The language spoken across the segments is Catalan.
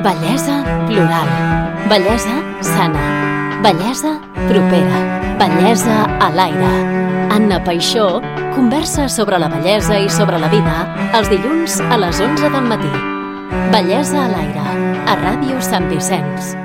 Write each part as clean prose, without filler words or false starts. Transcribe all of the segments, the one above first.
Bellesa plural. Bellesa sana. Bellesa propera. Bellesa a l'aire. Anna Paixó conversa sobre la bellesa i sobre la vida els dilluns a les 11 del matí. Bellesa a l'aire, a Ràdio Sant Vicenç.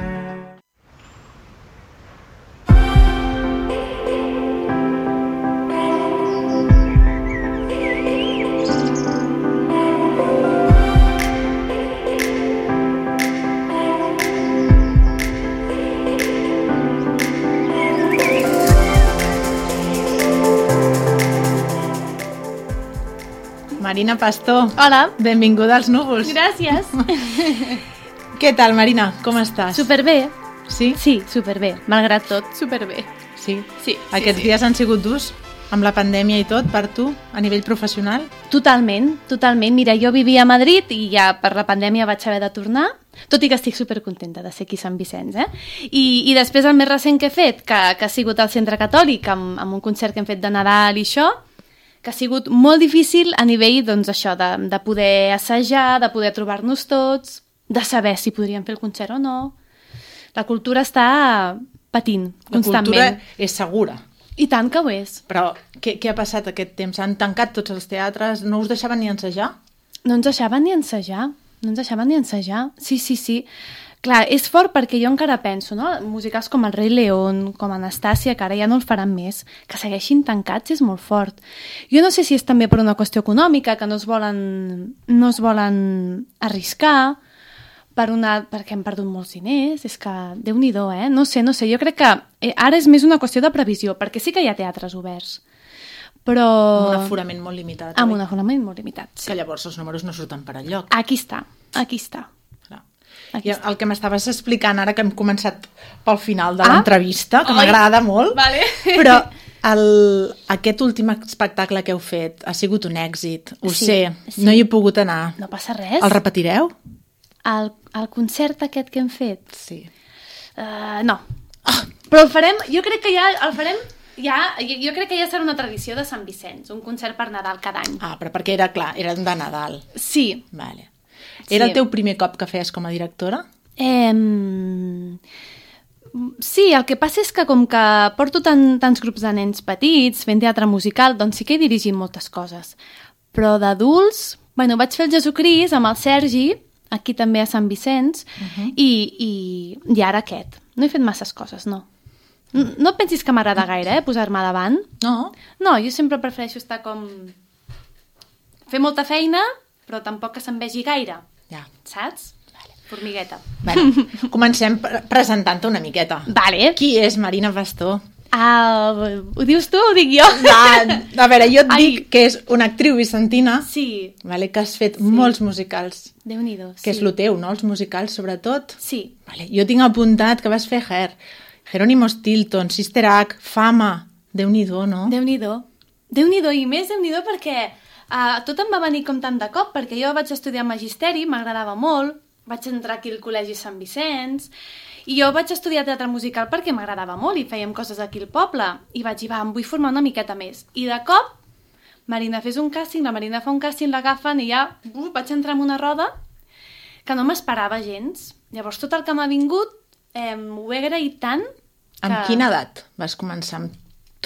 Marina Pastor. Hola. Benvinguda als núvols. Gràcies. Què tal, Marina? Com estàs? Superbé. Sí? Sí, superbé. Malgrat tot, superbé. Sí? Sí. Aquests dies han sigut durs amb la pandèmia i tot per tu, a nivell professional? Totalment, totalment. Mira, jo vivia a Madrid i ja per la pandèmia vaig haver de tornar, tot i que estic supercontenta de ser aquí a Sant Vicenç, I després el més recent que he fet, que ha sigut al Centre Catòlic, amb un concert que hem fet de Nadal i això, que ha sigut molt difícil a nivell, doncs, això, de poder assajar, de poder trobar-nos tots, de saber si podríem fer el concert o no. La cultura està patint constantment. La cultura és segura. I tant que ho és. Però què ha passat aquest temps? Han tancat tots els teatres? No us deixaven ni ensejar? No ens deixaven ni ensejar. No ens deixaven ni ensejar. Sí. Clar, és fort perquè jo encara penso, no? Musicals com El Rei León, com Anastàcia, que ara ja no els faran més, que segueixin tancats és molt fort. Jo no sé si és també per una qüestió econòmica, que no es volen arriscar, perquè hem perdut molts diners, és que Déu-n'hi-do, No sé, jo crec que ara és més una qüestió de previsió, perquè sí que hi ha teatres oberts, però... Amb un aforament molt limitat. Amb un aforament molt limitat, sí. Que llavors els números no surten per enlloc. Aquí està. I el que m'estaves explicant ara que hem començat pel final de l'entrevista, que m'agrada molt, vale. Però aquest últim espectacle que heu fet ha sigut un èxit, ho sé, no hi he pogut anar. No passa res. El repetireu? El concert aquest que hem fet? Sí. No. Però el farem, jo crec que ja el farem, jo crec que ja serà una tradició de Sant Vicenç, un concert per Nadal cada any. Però perquè era de Nadal. Sí. Vale. Era el teu primer cop que feies com a directora? Sí, el que passa és que com que porto tants grups de nens petits fent teatre musical, doncs sí que he dirigit moltes coses. Però d'adults, vaig fer el Jesucrist amb el Sergi, aquí també a Sant Vicenç, i ara aquest. No he fet masses coses, no. No pensis que m'agrada gaire, posar-me davant. No? No, jo sempre prefereixo estar com... fer molta feina, però tampoc que se'n vegi gaire. Ja. Saps? Vale. Formigueta. Comencem presentant-te una miqueta. Vale. Qui és Marina Pastor? Ho dius tu o ho dic jo? A veure, jo et dic que és una actriu vicentina, que has fet molts musicals. Déu-n'hi-do, que és el teu, no? Els musicals, sobretot. Sí. Jo tinc apuntat que vas fer Hair, Jerónimo Stilton, Sister Act, Fama. Déu-n'hi-do, no? Déu-n'hi-do, i més Déu-n'hi-do perquè tot em va venir com tant de cop, perquè jo vaig estudiar magisteri, m'agradava molt, vaig entrar aquí al Col·legi Sant Vicenç, i jo vaig estudiar teatre musical perquè m'agradava molt i fèiem coses aquí al poble, i vaig dir, em vull formar una miqueta més. I de cop, Marina, fes un càsting, la Marina fa un càsting, l'agafen i ja vaig entrar en una roda que no m'esperava gens. Llavors tot el que m'ha vingut ho he agraït tant que... Amb quina edat vas començar amb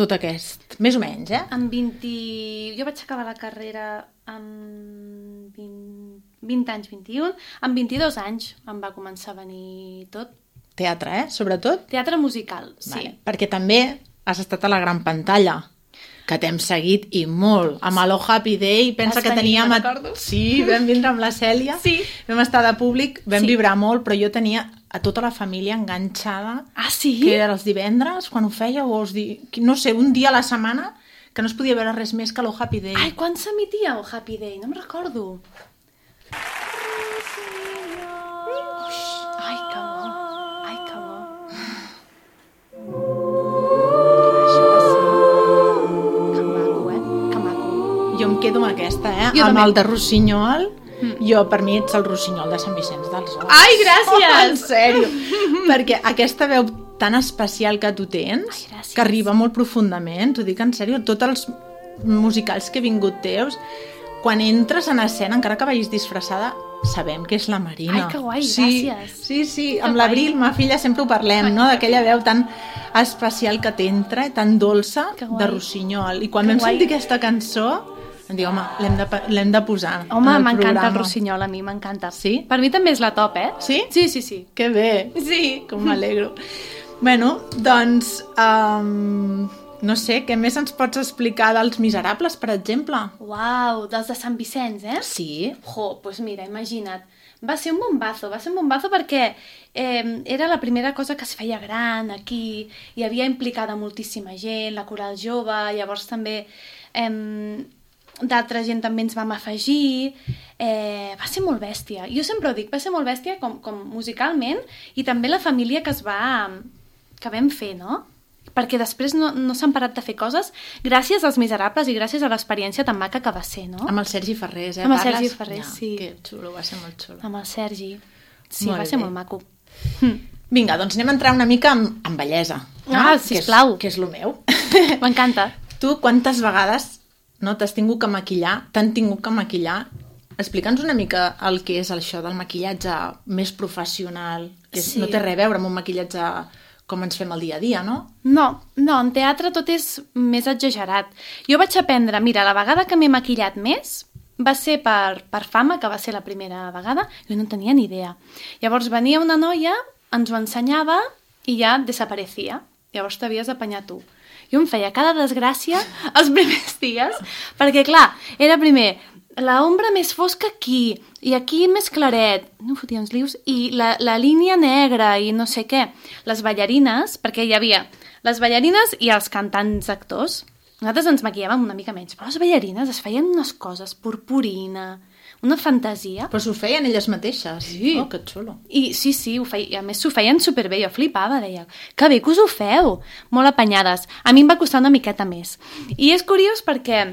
tot aquest? Més o menys, Amb 20... Jo vaig acabar la carrera amb 20 anys, 21. Amb 22 anys em va començar a venir tot. Teatre, sobretot? Teatre musical, sí. Vale. Perquè també has estat a la gran pantalla, que t'hem seguit i molt. Amb Hello Happy Day, pensa que teníem... Sí, vam vindre amb la Cèlia, vam estar de públic, vam vibrar molt, però jo tenia a tota la família enganxada. Sí? Que era els divendres, quan ho feia, no sé, un dia a la setmana, que no es podia veure res més que Hello Happy Day. Ai, quan s'emetia el Happy Day? No me'n recordo. Ai, que bo. Això va ser... Que maco, Que maco. Jo em quedo amb aquesta, Jo amb també. el de Rossinyol. Jo, per mi, ets el Rossinyol de Sant Vicenç dels Horts. Ai, gràcies! En sèrio. Perquè aquesta veu tan especial que tu tens, que arriba molt profundament, t'ho dic en sèrio, tots els musicals que he vingut teus, quan entres en escena, encara que vagis disfressada, sabem que és la Marina. Ai, que guai, gràcies. Sí, amb l'Abril, ma filla, sempre ho parlem, no? D'aquella veu tan especial que t'entra, tan dolça, de rossinyol. I quan vam sentir aquesta cançó, em diu, home, l'hem de posar. Home, m'encanta el rossinyol, a mi m'encanta. Sí? Per mi també és la top, Sí? Sí. Que bé. Sí. Com m'alegro. Bueno, doncs, no sé, què més ens pots explicar dels Miserables, per exemple? Uau, dels de Sant Vicenç, Sí. Doncs mira, imagina't. Va ser un bombazo perquè era la primera cosa que es feia gran aquí, hi havia implicada moltíssima gent, la coral jove, llavors també d'altra gent també ens vam afegir, va ser molt bèstia. Jo sempre ho dic, va ser molt bèstia com musicalment i també la família que vam fer, no? Perquè després no s'han parat de fer coses gràcies als Miserables i gràcies a l'experiència tan maca que va ser, no? Amb el Sergi Ferrés, Amb el Sergi Ferrés, sí. Que xulo, va ser molt xulo. Amb el Sergi. Sí, va ser molt maco. Vinga, doncs anem a entrar una mica en bellesa. Sisplau. Que és lo meu. M'encanta. Tu quantes vegades t'has tingut que maquillar, t'han tingut que maquillar? Explica'ns una mica el que és això del maquillatge més professional, que no té res a veure amb un maquillatge com ens fem el dia a dia, no? No, en teatre tot és més exagerat. Jo vaig aprendre, mira, la vegada que m'he maquillat més va ser per Fama, que va ser la primera vegada, jo no tenia ni idea. Llavors venia una noia, ens ho ensenyava i ja desaparecia. Llavors t'havies d'apanyar tu. Jo em feia cada desgràcia els primers dies, perquè clar, era primer la ombra més fosca aquí, i aquí més claret, no fotia uns lius, i la línia negra, i no sé què. Les ballarines, perquè hi havia les ballarines i els cantants actors. Nosaltres ens maquillàvem una mica menys, però les ballarines es feien unes coses, purpurina, una fantasia. Però s'ho feien elles mateixes. Sí. Oh, que xulo. I sí, a més s'ho feien superbé, jo flipava, deia, que bé que us ho feu, molt apanyades. A mi em va costar una miqueta més. I és curiós perquè,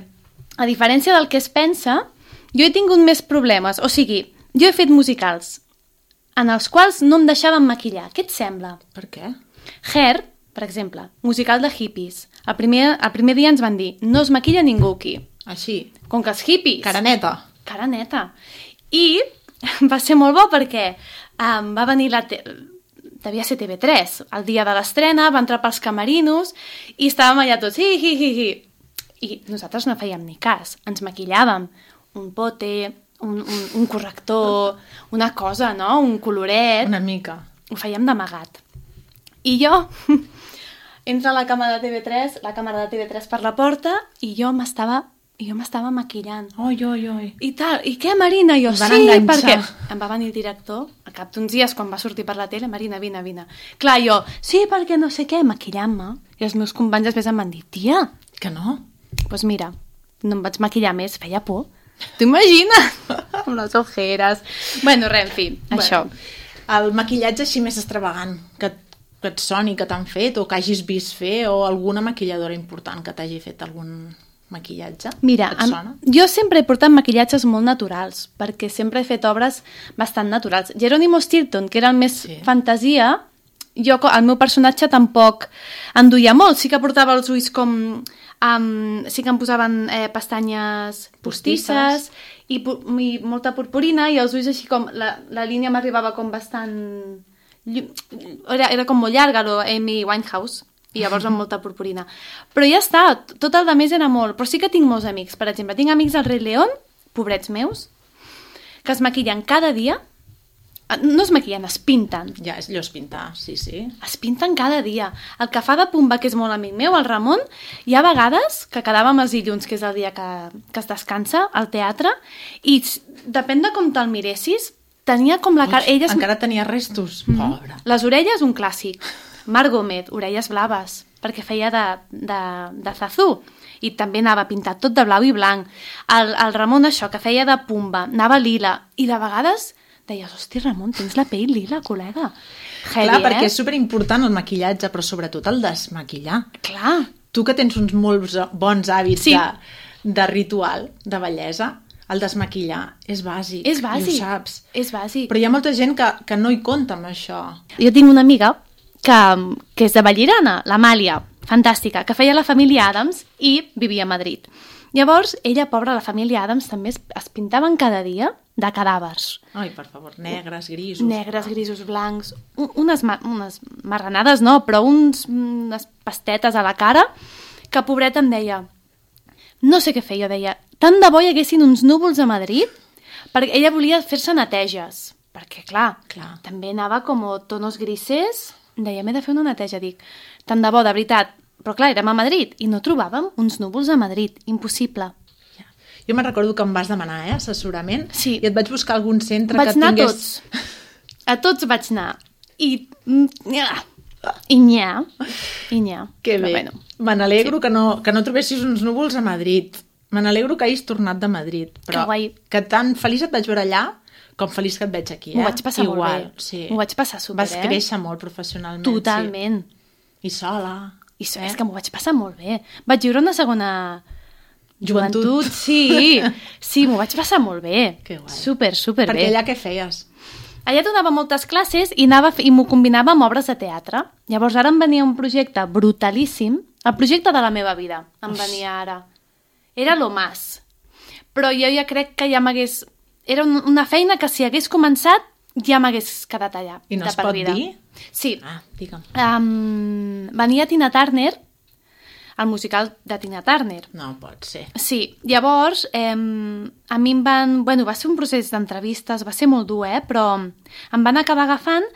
a diferència del que es pensa, jo he tingut més problemes. O sigui, jo he fet musicals en els quals no em deixaven maquillar. Què et sembla? Per què? Hair, per exemple, musical de hippies. El primer dia ens van dir, no es maquilla ningú aquí. Així? Com que els hippies. Cara neta. Cara neta. I va ser molt bo perquè va venir devia ser TV3, el dia de l'estrena, va entrar pels camerinos i estàvem allà tots, hi. I nosaltres no fèiem ni cas, ens maquillàvem. Un pote, un corrector, una cosa, no? Un coloret. Una mica. Ho fèiem d'amagat. I jo entra la càmera de TV3 per la porta i jo m'estava maquillant. Oi. I tal, i què, Marina? Jo, sí, perquè em va venir el director, al cap d'uns dies, quan va sortir per la tele, Marina, vine. Clar, jo, sí, perquè no sé què, maquillant-me. I els meus companys després em van dir, tia. Que no? Doncs mira, no em vaig maquillar més, feia por. T'ho imagines? Amb les ojeres. Bueno, res, en fi, això. El maquillatge així més extravagant que et soni, que t'han fet, o que hagis vist fer, o alguna maquilladora important que t'hagi fet algun maquillatge? Mira, jo sempre he portat maquillatges molt naturals, perquè sempre he fet obres bastant naturals. Jerónimo Stilton, que era el més fantasia, el meu personatge tampoc en duia molt. Sí que portava els ulls com... sí que em posaven pestanyes postisses i molta purpurina, i els ulls així com... La línia m'arribava com bastant... Era com molt llarga, Amy Winehouse, i llavors amb molta purpurina. Però ja està, tot el de més era molt. Però sí que tinc molts amics. Per exemple, tinc amics al Rei León, pobrets meus, que es maquillen cada dia. No es maquillen, es pinten. Ja, és allò, es pintar, sí. Es pinten cada dia. El que fa de Pumba, que és molt amic meu, el Ramon, hi ha vegades que quedàvem els dilluns, que és el dia que es descansa, al teatre, i depèn de com te'l miressis, tenia com la cara... Encara tenia restos, pobre. Les orelles, un clàssic. Marc Gómez, orelles blaves, perquè feia de Zazú, i també anava pintat tot de blau i blanc. El Ramon, això, que feia de Pumba, anava lila, i de vegades deies, hosti, Ramon, tens la pell lila, col·lega. Heavy, clar, perquè és superimportant el maquillatge, però sobretot el desmaquillar. Clar. Tu que tens uns molt bons hàbits de ritual, de bellesa, el desmaquillar és bàsic. És bàsic. I ho saps. És bàsic. Però hi ha molta gent que no hi compta amb això. Jo tinc una amiga que és de Vallirana, l'Amàlia, fantàstica, que feia la família Adams i vivia a Madrid. Llavors, ella, pobra, la família Adams, també es pintaven cada dia de cadàvers. Ai, per favor, negres, grisos. Negres, grisos, blancs, unes marranades no, però unes pastetes a la cara, que pobreta em deia, no sé què feia, deia, tant de bo hi haguessin uns núvols a Madrid, perquè ella volia fer-se neteges, perquè clar, també anava com tonos grises, deia, m'he de fer una neteja, dic, tant de bo, de veritat, però clar, érem a Madrid i no trobàvem uns núvols a Madrid, impossible. Jo me'n recordo que em vas demanar assessorament sí. I et vaig buscar algun centre vaig que tingués... Vaig anar a tots vaig anar. I nyà. Que bé. Bueno. Me n'alegro que no trobessis uns núvols a Madrid. Me n'alegro que hagis tornat de Madrid. Però que tan feliç et vaig veure allà com feliç que et veig aquí. M'ho vaig passar molt bé. Sí. M'ho vaig passar super, Vas créixer molt professionalment. Totalment. Sí. I sola. És que m'ho vaig passar molt bé. Vaig viure una segona... Joventut, sí. Sí, m'ho vaig passar molt bé. Que guai. Super bé. Perquè allà què feies? Allà donava moltes classes i m'ho combinava amb obres de teatre. Llavors ara em venia un projecte brutalíssim, el projecte de la meva vida em venia ara. Era lo más. Però jo ja crec que ja m'hagués... Era una feina que si hagués començat ja m'hagués quedat allà. I no es pot dir? Sí. Digue'm. Venia Tina Turner, el musical de Tina Turner. No pot ser. Sí, llavors a mi em van... Bueno, va ser un procés d'entrevistes, va ser molt dur, però em van acabar agafant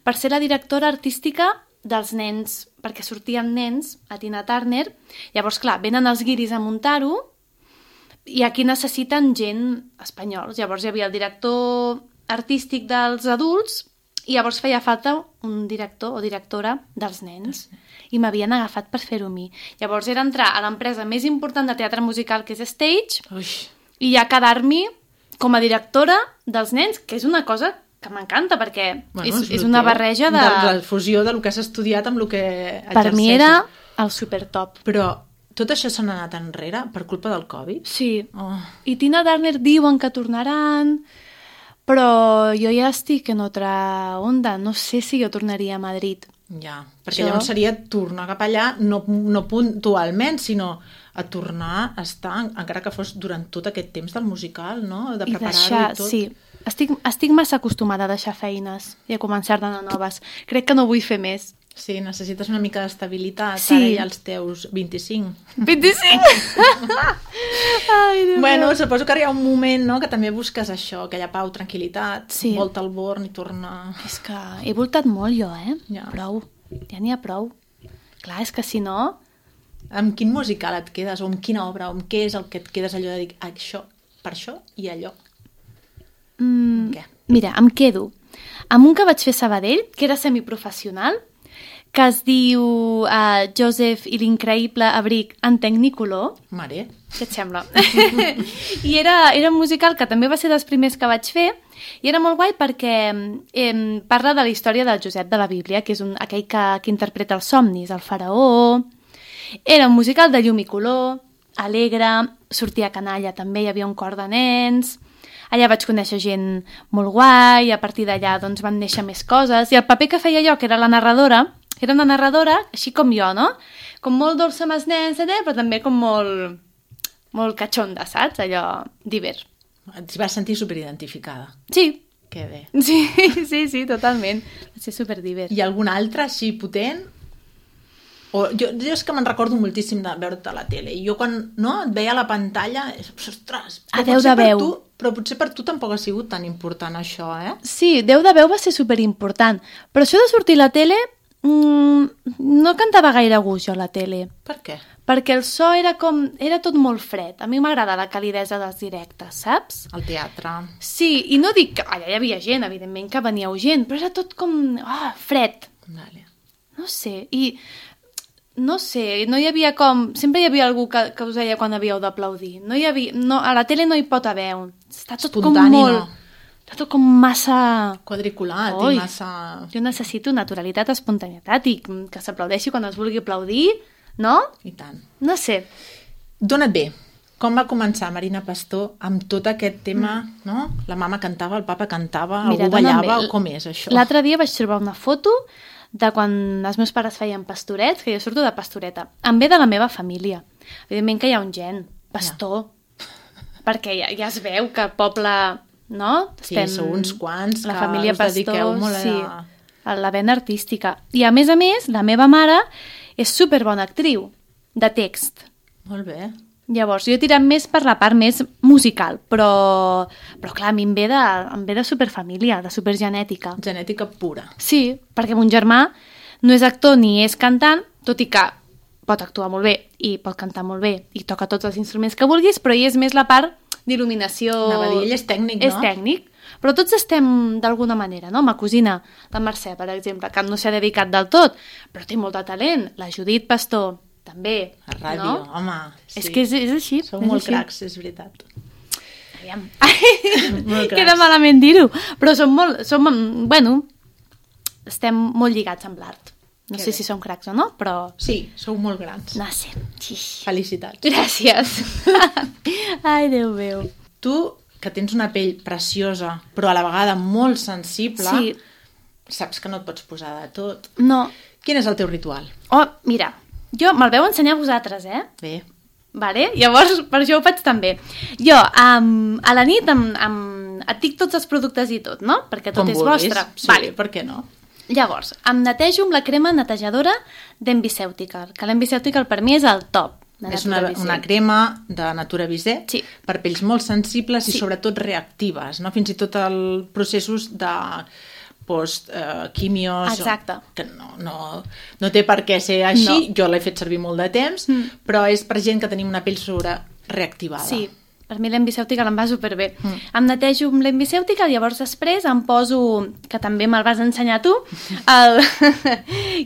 per ser la directora artística dels nens, perquè sortien nens a Tina Turner. Llavors, clar, venen els guiris a muntar-ho i aquí necessiten gent espanyols. Llavors hi havia el director artístic dels adults i llavors feia falta un director o directora dels nens. I m'havien agafat per fer-ho a mi. Llavors era entrar a l'empresa més important de teatre musical, que és Stage, i ja quedar-m'hi com a directora dels nens, que és una cosa que m'encanta, perquè és una barreja de... De la fusió del que has estudiat amb el que exerceixes. Per mi era el supertop. Però tot això se n'ha anat enrere per culpa del Covid? Sí. I Tina Turner diuen que tornaran, però jo ja estic en otra onda. No sé si jo tornaria a Madrid. Ja, perquè llavors seria tornar cap allà, no puntualment, sinó a tornar a estar, encara que fos durant tot aquest temps del musical, no? De preparar-ho i tot. Sí, estic massa acostumada a deixar feines i a començar de noves. Crec que no vull fer més. Sí, necessites una mica d'estabilitat, sí. Ara ja als teus 25. 25? Ai, Déu bueno, suposo que hi ha un moment, no?, que també busques això, aquella pau, tranquil·litat, volta al born i tornar... És que he voltat molt jo, Ja. Prou, ja n'hi ha prou. Clar, és que si no... Amb quin musical et quedes, o amb quina obra, o amb què és el que et quedes allò de dir això, per això i allò? Què? Mira, em quedo amb un que vaig fer a Sabadell, que era semiprofessional, que es diu Joseph i l'increïble abric en Tecnicolor. Mare. Què et sembla? I era un musical que també va ser dels primers que vaig fer i era molt guai perquè parla de la història del Josep de la Bíblia, que és aquell que interpreta els somnis, el faraó. Era un musical de llum i color, alegre, sortia canalla també, hi havia un cor de nens... Allà vaig conèixer gent molt guai, a partir d'allà doncs, van néixer més coses, i el paper que feia jo, que era la narradora, era una narradora així com jo, no? Com molt dolça amb els nens, però també com molt catxonda, saps? Allò divert. Et vas sentir superidentificada. Sí. Que bé. Sí, totalment. Va ser superdivert. I algun altre així potent? Jo és que me'n recordo moltíssim de veure-te a la tele, i jo quan et veia a la pantalla, ostres, però potser per tu tampoc ha sigut tan important això, Sí, Déu de veu va ser superimportant, però això de sortir a la tele no cantava gaire a gust jo a la tele. Per què? Perquè el so era tot molt fred. A mi m'agrada la calidesa dels directes, saps? El teatre. Sí, i no dic que allà hi havia gent, evidentment que veníeu gent, però era tot com fred. Vale. No sé, no hi havia com... Sempre hi havia algú que us deia quan havíeu d'aplaudir. A la tele no hi pot haver Està tot espontani, com molt... Està tot com massa... Quadriculat i massa... Jo necessito naturalitat, espontaneïtat i que s'aplaudeixi quan es vulgui aplaudir, no? I tant. No sé. Dona't bé. Com va començar Marina Pastor amb tot aquest tema, no? La mama cantava, el papa cantava, algú ballava, o com és això? L'altre dia vaig trobar una foto de quan els meus pares feien pastorets, que jo surto de pastoreta. Em ve de la meva família. Evidentment que hi ha un gen, pastor, perquè ja es veu que el poble no? Sí, sou uns quants la que família us dediqueu molt a la vena artística. I a més, la meva mare és superbona actriu de text. Molt bé. Llavors, jo he tirat més per la part més musical, però clar, a mi em ve de superfamília, de supergenètica. Genètica pura. Sí, perquè mon germà no és actor ni és cantant, tot i que pot actuar molt bé i pot cantar molt bé i toca tots els instruments que vulguis, però ell és més la part d'il·luminació... Anava a dir, ell és tècnic, no? És tècnic, però tots estem d'alguna manera, no? Ma cosina, la Mercè, per exemple, que no s'ha dedicat del tot, però té molt de talent. La Judit Pastor, també. A ràdio, no? home. Sí. És que és així. Sou molt cracs, és veritat. Aviam. Queda malament dir-ho, però bueno, estem molt lligats amb l'art. No sé si som cracs o no, però... Sí, sou molt grans. No sé. Felicitats. Gràcies. Ai, Déu meu. Tu, que tens una pell preciosa, però a la vegada molt sensible, saps que no et pots posar de tot. No. Quin és el teu ritual? Oh, mira, jo me'l veu ensenyar a vosaltres, Bé. Vale? Llavors, per això ho faig també. Jo, a la nit et dic tots els productes i tot, no? Perquè tot és vostre. Sí, vale. Per què no? Llavors, em netejo amb la crema netejadora d'Enviceutical, que l'Enviceutical per mi és el top. És una crema de Natura Visé per pells molt sensibles i sobretot reactives, no? Fins i tot els processos de post-quimios... Exacte. Que no té per què ser així, jo l'he fet servir molt de temps, però és per gent que tenim una pell reactivada. Sí, per mi l'Enviceutical em va superbé. Em netejo amb l'Enviceutical, llavors després em poso, que també me'l vas ensenyar tu,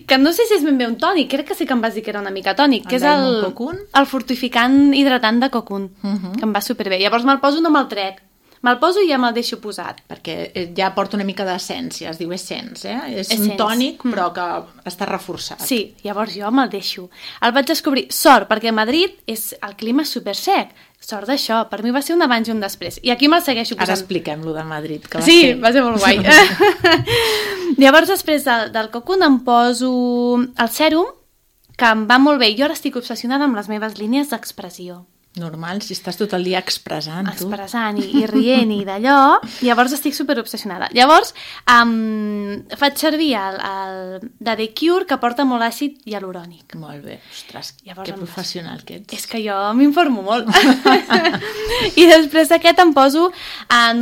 que no sé si és ben bé un tònic, crec que sí que em vas dir que era una mica tònic, que és el fortificant hidratant de Cocoon, que em va superbé. Llavors me'l poso, no me'l trec. Me'l poso i ja me'l deixo posat. Perquè ja porta una mica d'essència, es diu Essence, És un tònic, però que està reforçat. Sí, llavors jo me'l deixo. El vaig descobrir, sort, perquè a Madrid el clima és super sec. Sort d'això, per mi va ser un abans i un després. I aquí me'l segueixo posant. Ara expliquem-lo de Madrid, que va ser molt guai. Llavors, després del Cocoon em poso el sèrum, que em va molt bé. Jo ara estic obsessionada amb les meves línies d'expressió. Normal, si estàs tot el dia expressant, tu. Expressant i rient i d'allò, llavors estic superobsessionada. Llavors, faig servir el de The Cure, que porta molt àcid hialurònic. Molt bé, ostres, que professional que ets. És que jo m'informo molt. I després d'aquest em poso,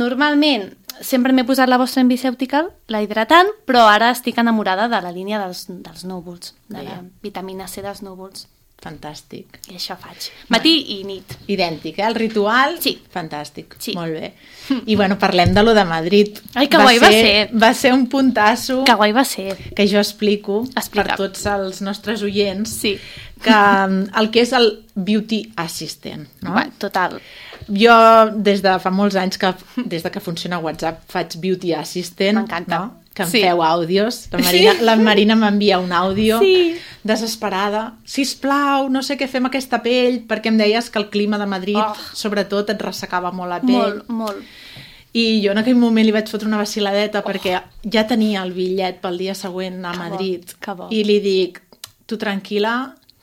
normalment, sempre m'he posat la vostra Enviceutical, la hidratant, però ara estic enamorada de la línia dels núvols, de la vitamina C dels núvols. Fantàstic. I això faig. Matí i nit. Idèntic, El ritual? Sí. Fantàstic. Sí. Molt bé. I bueno, parlem de lo de Madrid. Ai, que guai va ser. Va ser un puntasso. Que guai va ser. Que jo explico per tots els nostres oients. Sí. Que el que és el Beauty Assistant, no? Total. Jo, des de fa molts anys, des de que funciona WhatsApp, faig Beauty Assistant. M'encanta. No? Que em feu àudios. La Marina m'envia un àudio desesperada. Sisplau, no sé què fer amb aquesta pell, perquè em deies que el clima de Madrid, sobretot, et ressecava molt la pell. Molt, molt. I jo en aquell moment li vaig fotre una vaciladeta perquè ja tenia el bitllet pel dia següent a Madrid. Que bo. I li dic, tu tranquil·la,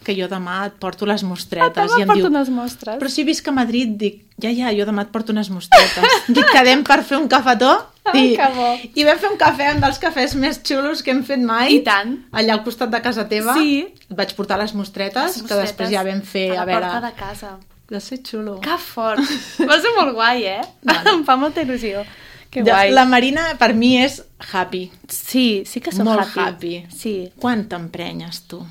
que jo demà et porto les mostretes. I em porto unes mostres. Però si visc a Madrid, dic, ja, jo demà et porto unes mostretes. Dic, quedem per fer un cafetó? Que bo. I vam fer un cafè, un dels cafès més xulos que hem fet mai. I tant. Allà al costat de casa teva. Sí. Et vaig portar les mostretes, que després ja vam fer... A la porta de casa. Va ser xulo. Que fort. Va ser molt guai, Em fa molta il·lusió. Que guai. La Marina, per mi, és happy. Sí que soc molt happy. Sí. Quan t'emprenyes, tu?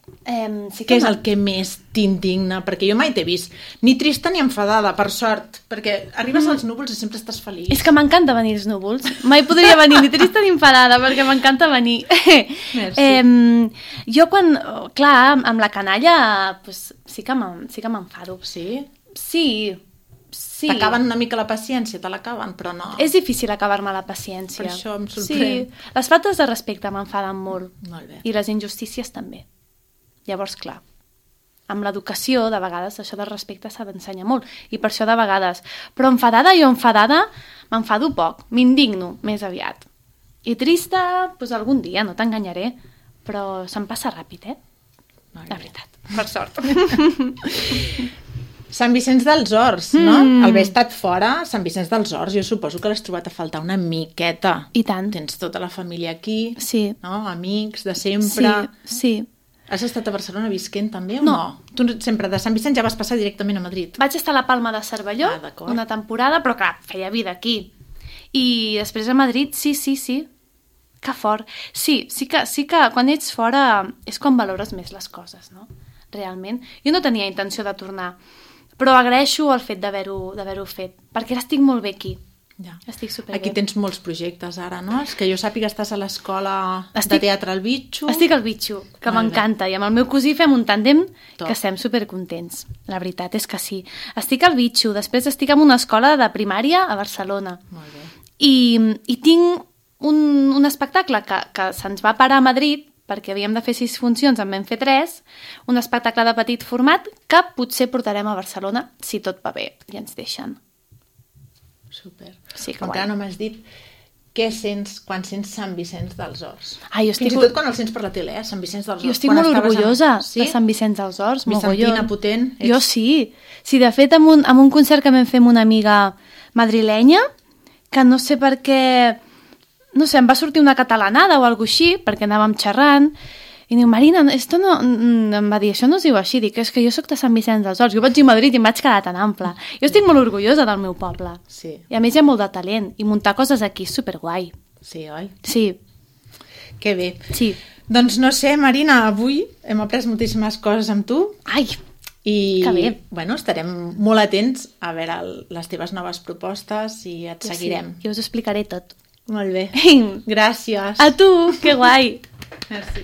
Què és el que més t'indigna? Perquè jo mai t'he vist ni trista ni enfadada, per sort, perquè arribes als núvols i sempre estàs feliç. És que m'encanta venir als núvols. Mai podria venir ni trista ni enfadada, perquè m'encanta venir. Merci. Jo quan, clar, amb la canalla pues, sí que m'enfado. Sí? Sí. T'acaben una mica la paciència, te l'acaben, però no. És difícil acabar-me la paciència. Per això em sorprèn. Sí, les faltes de respecte m'enfaden molt. Molt bé. I les injustícies també. Llavors, clar, amb l'educació, de vegades, això del respecte s'ha d'ensenyar molt. I per això, de vegades. Però enfadada, m'enfado poc. M'indigno, més aviat. I trista, doncs algun dia, no t'enganyaré. Però se'm passa ràpid, La veritat. Per sort. Sant Vicenç dels Horts, no? Al haver estat fora, Sant Vicenç dels Horts, jo suposo que l'has trobat a faltar una miqueta. I tant. Tens tota la família aquí, Sí. no? Amics de sempre. Sí. Has estat a Barcelona visquent també o no? Tu sempre de Sant Vicenç ja vas passar directament a Madrid. Vaig estar a la Palma de Cervelló una temporada, però clar, feia vida aquí. I després a Madrid, sí. Que fort. Sí que quan ets fora és quan valores més les coses, no? Realment. Jo no tenia intenció de tornar, però agraeixo el fet d'haver-ho fet, perquè ara estic molt bé aquí. Ja. Estic superbé. Aquí tens molts projectes ara, no? És que jo sàpiga estàs a l'escola de teatre al Bitxo. Estic al Bitxo, que m'encanta, i amb el meu cosí fem un tàndem que estem supercontents. La veritat és que sí. Estic al Bitxo, després estic en una escola de primària a Barcelona. Molt bé. I tinc un espectacle que se'ns va parar a Madrid, perquè havíem de fer 6 funcions, en vam fer 3, un espectacle de petit format que potser portarem a Barcelona, si tot va bé i ens deixen. Super. Sí, que encara no m'has dit què sents quan sents Sant Vicenç dels Horts. Fins i tot quan el sents per la tele, Sant Vicenç dels Horts. Jo estic molt orgullosa de Sant Vicenç dels Horts. Vicentina potent. Jo sí. Sí, de fet, amb un concert que vam fer amb una amiga madrilenya, que no sé per què... No sé, em va sortir una catalanada o alguna així, perquè anàvem xerrant, i diu, Marina, esto no... Em va dir, això no es diu així, dic, és que jo sóc de Sant Vicenç dels Horts, jo vaig dir a Madrid i em vaig quedar tan ample. Jo estic molt orgullosa del meu poble. Sí. I a més hi ha molt de talent, i muntar coses aquí és superguai. Sí, oi? Sí. Que bé. Sí. Doncs no sé, Marina, avui hem après moltíssimes coses amb tu. Ai, que bé. Bueno, estarem molt atents a veure les teves noves propostes i et seguirem. Sí, jo us explicaré tot. Molt bé. Gràcies. A tu, que guai. Merci.